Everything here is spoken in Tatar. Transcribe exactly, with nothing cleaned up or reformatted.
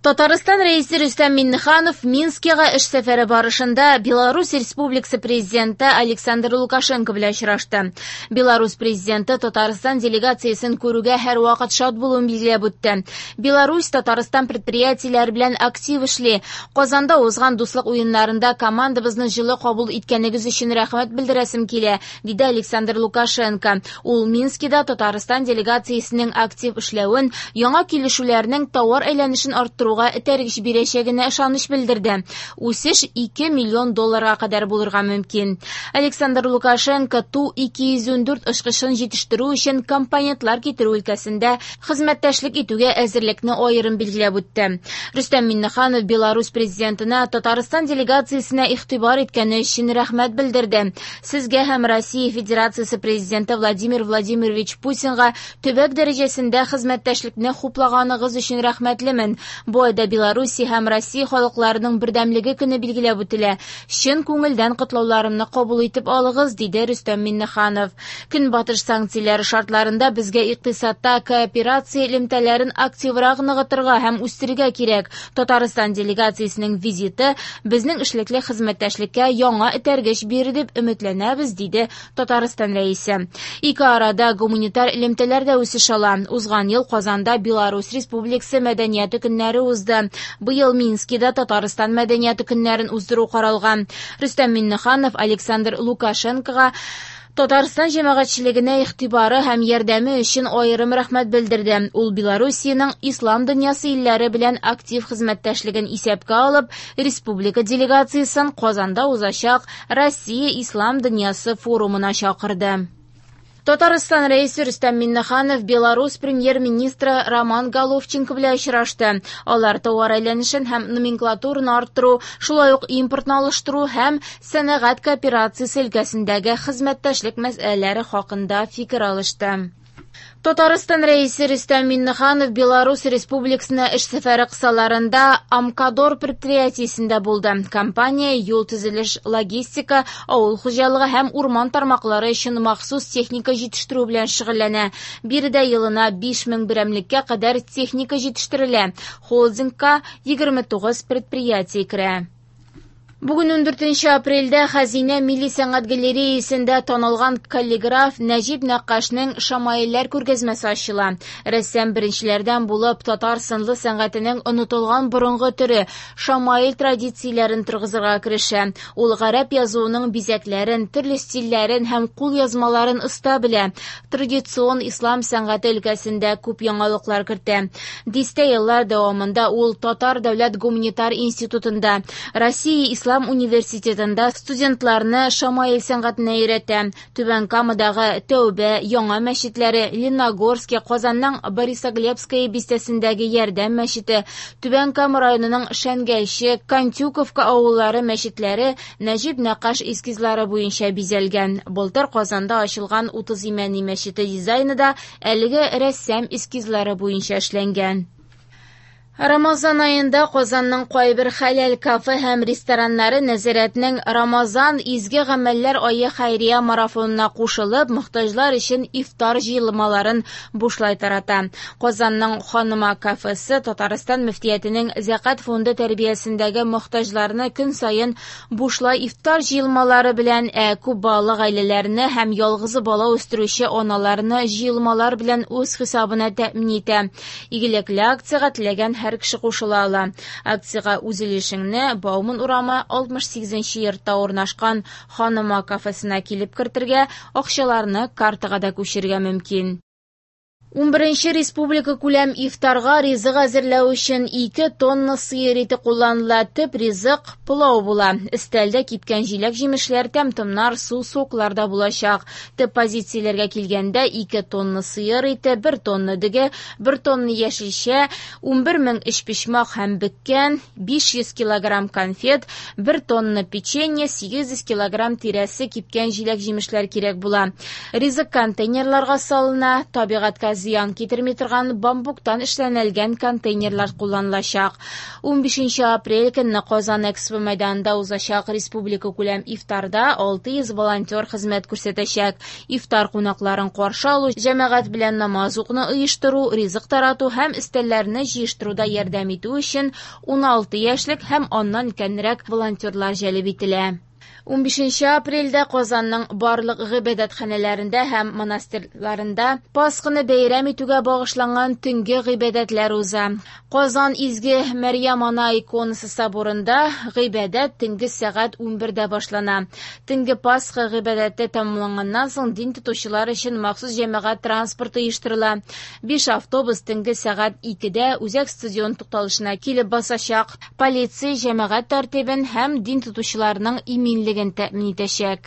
Татарстан Рәисе Рөстәм Миңнеханов Минскига эш сәфәре барышында Беларусь Республикасы президенты Александр Лукашенко белән очрашты. Беларусь президенты Татарстан делегациясен күрүгә һәрвакыт шат булуын билгеләп үтте. Беларусь Татарстан предприятиеләре белән актив эшли. Казанда узган дуслык уеннарында командабызны җылы кабул иткәнегез өчен рәхмәт белдерәсем килә, диде Александр Лукашенко. Ул Минскида Татарстан делегациясенең актив эшләвен, яңа килешүләрнең товар әйләнешен арттыру этәргеч бирәчәгенә ышаныч белдерде. Үсеш ике миллион долларга кадәр булырга мөмкин. Александр Лукашенко Ту ике йөз ундүрт очкычын җитештерү өчен компонентлар китерү өлкәсендә хезмәттәшлек итүгә әзерлекне аерым билгеләп үтте. Рөстәм Миңнеханов Беларусь президентына Татарстан делегациясенә игътибар иткәне өчен рәхмәт белдерде. Сезгә һәм Россия Федерациясе президенты Владимир Владимирович Путинга төбәк дәрәҗәсендә хезмәттәшлекне хуплаганыгыз өчен рәхмәтлемен. Бу айда Беларусь һәм Россия халыкларының бердәмлеге көне билгеләп үтелә. Чын күңелдән котлауларымны кабул итеп алыгыз, диде Рөстәм Миңнеханов. Көнбатыш санкцияләре шартларында безгә икътисадта кооперация элемтәләрен активрак ныгытырга һәм үстерергә кирәк. Татарстан делегациясенең визиты безнең эшлекле хезмәттәшлеккә яңа этәргеч бирер дип өметләнәбез, диде Татарстан рәисе. Ике арада гуманитар элемтәләр дә үсеш ала. Узган ел Казанда Беларусь Республикасы мәдәнияте көннәре узды. Быел Минскида Татарстан мәдәнияте көннәрен уздыру каралган. Рөстәм Миңнеханов Александр Лукашенкога Татарстан җәмәгатьчелегенә игътибары һәм ярдәме өчен аерым рәхмәт белдерде. Ул Белоруссиянең ислам дөньясы илләре белән актив хезмәттәшлеген исәпкә алып, республика делегациясен Казанда узачак Россия ислам дөньясы форумына чакырды. Татарстан рәисе Рөстәм Миңнеханов Беларусь премьер-министры Роман Головченко белән очрашты. Алар товар әйләнешен һәм номенклатураны арттыру, шулай ук импортны алыштыру һәм сәнәгать кооперациясе өлкәсендәге хезмәттәшлек мәсьәләләре хакында фикер алышты. Татарстан рәисе Рөстәм Миңнеханов Беларусь Республикасына эш сәфәре кысаларында Амкадор предприятиесендә булды. Компания юл төзелеш, логистика, авыл хуҗалыгы һәм урман тармаклары өчен махсус техника җитештерү белән шөгыльләнә. Биредә елына биш мең берәмлеккә кадәр техника җитештерелә. Холдингка егерме тугыз предприятие керә. Бүген ундүртенче апрельдә Хәзинә милли сәнгать галереясендә танылган каллиграф Нәҗип Нәккашның Шамаилләр күргәзмәсе ачыла. Рәссам беренчеләрдән булып татар сынлы сәнгатенең онытылган борынгы төре шамаил традицияләрен торгызырга керешә. Ул гарәп язуының бизәкләрен, төрле стильләрен һәм кул язмаларын оста белә. Традицион ислам сәнгате өлкәсендә күп яңалыклар кертә. Дистә еллар дәвамында ул Татар дәүләт гуманитар институтында, Россия ислам университетында студентларны шамаил сәнгатенә өйрәтә. Түбән Камадагы Тәүбә, Яңа мәчетләре, Лениногорский, Казанның Борисоглебская бистәсендәге Ярдәм мәчете, Түбән Кама районының Шәнгәлче, Кантюковка авыллары мәчетләре Нәҗип Нәккаш эскизлары буенча бизәлгән. Былтыр Казанда ачылган Утыз Имәни мәчете дизайны да әлеге рәссам эскизлары буенча эшләнгән. Рамазан айында Казанның кайбер хәләл кафе һәм рестораннары нәзарәтнең Рамазан изге гамәлләр ае хәйрия марафонына кушылып, мохтаҗлар өчен ифтар җыелмаларын бушлай тарата. Казанның Ханыма кафесы Татарстан мөфтиятенең Зәкат фонды тәрбиясендәге мохтаҗларны көн саен бушлай ифтар җыелмалары белән, ә күп балалы гаиләләрне һәм ялгызы бала үстерүче аналарны җыелмалар белән үз хисабына тәэмин итә. Игелекле акциягә теләгән һәр кеше кушыла ала. Акциягә үз өлешеңне Бауман урамы алтмыш сигезенче йортта урнашкан Ханыма кафесына килеп кертергә, акчаларны картага да күчерергә мөмкин. Унберенче республика күләм ифтарга ризык әзерләү өчен ике тонна сыер ите кулланыла. Төп ризык пылау була. Өстәлдә кипкән җиләк-җимешләр, тәм-томнар, су, соклар да булачак. Төп позицияләргә килгәндә ике тонна сыер ите, бер тонна дөге, бер тонна яшелчә, унбер мең өчпочмак һәм бөккән, биш йөз килограмм конфет, бер тонна печенье, сигез йөз килограмм тирәсе кипкән җиләк-җимешләр кирәк була. Ризык контейнерларга салына, табигатькә зыян китерми торган бамбуктан эшләнелгән контейнерлар кулланылачак. Унбишенче апрель көнне Казан Экспо мәйданында узачак республика күләм ифтарда алты йөз волонтер хезмәт күрсәтәчәк. Ифтар кунакларын каршы алу, җәмәгать белән намаз укуны оештыру, ризык тарату һәм өстәлләрне җыештыруда ярдәм итү өчен уналты яшьлек һәм аннан өлкәнрәк волонтерлар җәлеп ителә. Унбишенче апрельдә Казанның барлык гыйбадәтханәләрендә һәм монастырьларында Пасханы бәйрәм итүгә багышланган төнге гыйбадәтләр уза. Казан Изге Мәрьям Ана иконасы соборында гыйбадәт төнге сәгать унбердә башлана. Төнге Пасха гыйбадәте тәмамланганнан соң дин тотучылар өчен махсус җәмәгать транспорты оештырыла. Биш автобус төнге сәгать икедә Үзәк стадион тукталышына килеп басачак. Полиция җәмәгать тәртибен һәм дин тотучыларның иминлеген тәэмин итәчәк.